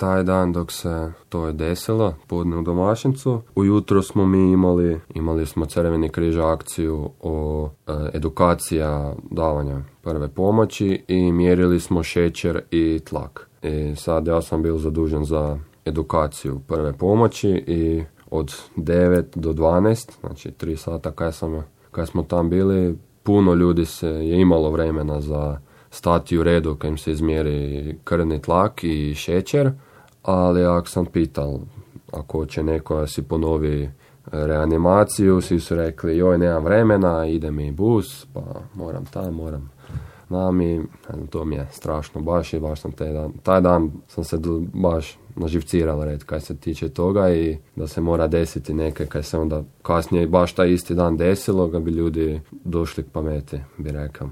taj dan dok se to je desilo, podne u Domašincu, ujutro smo mi imali smo Crveni križ akciju o edukacija davanja prve pomoći i mjerili smo šećer i tlak. I sad ja sam bio zadužen za edukaciju prve pomoći i od 9 do 12, znači 3 sata kad smo tam bili, puno ljudi se je imalo vremena za stati u redu kad im se izmjeri krvni tlak i šećer, ali ako sam pital ako će neko si ponovi reanimaciju, svi su rekli joj nemam vremena, ide mi bus, pa moram i to mi je strašno baš sam taj dan sam se baš naživciral red kaj se tiče toga i da se mora desiti neke kaj se onda kasnije baš taj isti dan desilo, ga bi ljudi došli k pameti, bi rekao.